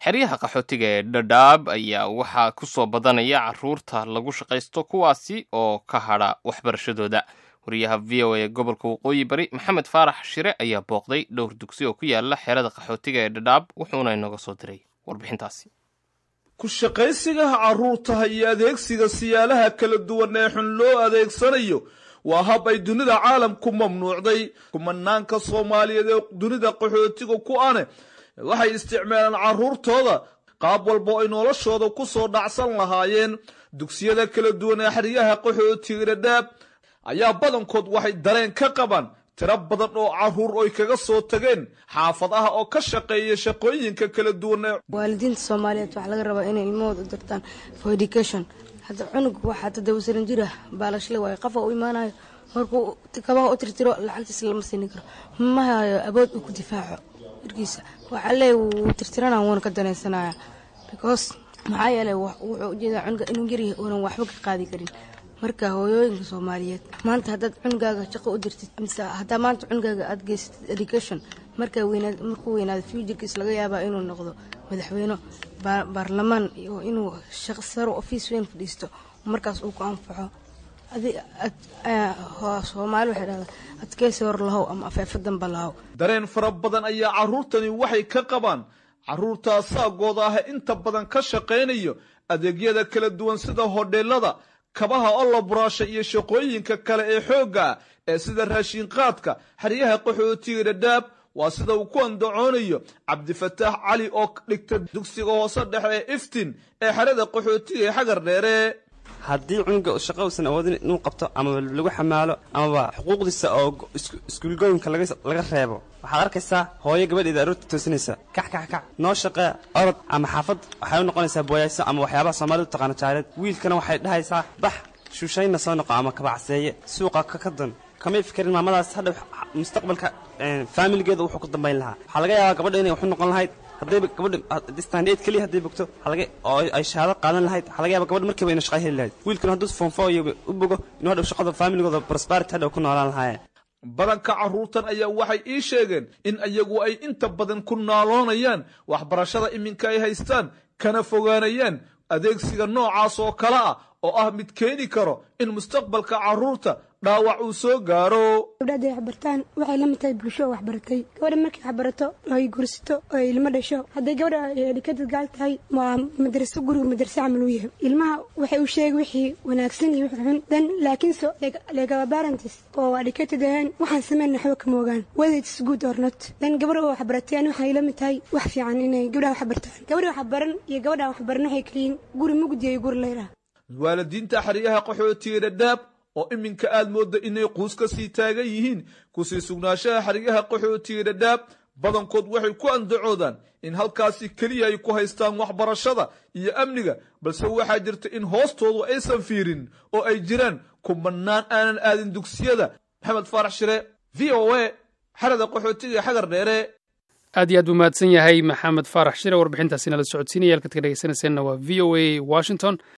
Xeryaha qaxootiga ee Dhadhaab ayaa waxaa ku soo badanaya caruurta lagu shaqaysto, kuwaasi oo ka hadha waxbarashadooda. Wariyaha VOA ee gobolka Waqooyi Bari, Maxamed Faarax Shire, ayaa booqday dhowr dugsi oo ku yaala xerada qaxootiga ee Dhadhaab, wuxuuna inooga soo diray warbixintaasi. Ku shaqaysigaha carruurtaha iyo adeegsiga siyaalaha kala duwan ee xun loo adeegsanayo waa hab ay dunida caalamku mamnuucday. Kumanaanka Soomaaliyeed ee dunida qaxootiga ku ane waxay isticmaalaan carruurtooda qaab walba oo ay noloshooda ku soo dhacsan lahaayeen. Dugsiyada kala duwan ee xeryaha qaxootiga Dhadhaab ayaa badankood waxay dareen ka qabaan tiro badan oo carruur oy kaga soo tageen xaafadaha oo ka shaqeeya shaqooyinka kala duwan ee Waalidiinta Soomaaliyeed waxaa laga rabaa inay ilmahooda u dirtaan for education. Hadda cunug waxaa 7 sano jir ah baalashle waayo, qofa u imaanayo markuu kabaha u tirtiro lacagtiisa lama siini karo. Ma hayo awood uu ku difaaco jirkiisa. Waxaa leeyahy wuu tirtirana, wuuna ka danaysanaya, because maxaa yeelay wuxuu ujeedaa cunuga inuu yaryahay uunan waxba ka qaadi karin. Marka hooyooyinka Soomaaliyeed, maanta haddaad cunugaaga shaqo u dirtid mise haddaa maanta cunugaaga aad geysatid education, markaa weynaad, markuu weynaado future kiis laga yaabaa inuu noqdo madaxweyne, baarlamaan iyo inuu shaqo saro, office weyn fadhiisto, markaas uu ku anfaco. Soomaali waxay dhahdaa, "Adkeysi hor lahow ama afeefa damba lahow." Dareen fara badan ayaa carruurtani waxay ka qabaan carruurtaa saagooda ah inta badan ka shaqaynayo adeegyada kala duwan sida hodheelada, kabaha oo la buraasha iyo shaqooyinka kale ee xoogga ah ee sida raashinqaadka xeryaha qaxootiga Dhadhaab. Waa sida uu ku andacoonayo Cabdifataax Cali oo dhigta dugsiga hoose dhexe ee Iftin ee xerada qaxootiga ee Xagar Dheere. Haddii cunuga shaqo uusan awoodin inuu qabto ama lagu xamaalo amaba xuquuqdiisa oo iskuulgooyinka laga reebo, waxaad arkaysaa hooyo gabadheeda aroorta toosinaysa, "Kac, kac, kac, noo shaqee, orod." Ama xaafad waxay u noqonaysaa booyayso ama waxyaabaha Soomaalidu taqaano jaareed. Wiilkana waxay dhahaysaa, "Bax, shuushayna soo noqo ama kabacseeye suuqa ka kadan." Kamay fikirin maamadaas hadhow mustaqbalka faamiligeeda wuxuu ku dambayn lahaa. Waxaa laga yaabaa gabadha inay waxu noqon lahayd haddayba gabadha standard keliya hadday bogto oo ay shahaado qaadan lahayd. Waxaa laga yaaba gabadha markiiba inay shaqa heli lahayd. Wiilkuna hadduu form four iyo u bogo, inuu hadhow shaqada faamiligooda prosperity hadhow ku noolaan lahaayeen. Badanka carruurtan ayaa waxay ii sheegeen in iyagu ay inta badan ku naaloonayaan waxbarashada iminka ay haystaan, kana fogaanayaan adeegsiga noocaas oo kale ah oo ah mid keeni karo in mustaqbalka carruurta dhaawac uu soo gaaro. Gabdha hadday waxbartaan waxay la mid tahay bulsho oo waxbaratay. Gabadha markay waxbarato oo ay guursato oo ay ilmo dhasho, hadday gabadha educated gaal tahay, waa madraso, guriga madraso camal uu yahay. Ilmaha waxay u sheegi wixii wanaagsan iyo wixii xun dan. Laakiinse like our parents oo educated ahayn, waxaan sameyn waxba kama ogaan whether it's good or not. Then gabadha oo waxbaratay ani waxay la mid tahay wax fiican inay gabdhaha waxbartaan. Gabadha waxbaran iyo gabadha waxbaran waxay kaliyiin guri mugdi iyo guri leyra. Waalidiinta xeryaha qaxootiga Dhadhaab oo iminka aad moodda inay quus ka sii taagan yihiin kusii sugnaanshaha xeryaha qaxootiga Dhadhaab, badankood waxay ku andacoodaan in halkaasi keliya ay ku haystaan waxbarashada iyo amniga, balse waxaa jirta in hoostoodu aysan fiirin oo ay jiraan kumanaan aanan aadin dugsiyada. Maxamed Faarax Shire, VOA, xerada qaxootiga Xagar Dheere. Aad iyo aad buu mahadsan yahay Maxamed Faarax Shire, warbixintaasi nala socodsiinaya. Halkaad ka dhegeysanayseena waa VOA Washington.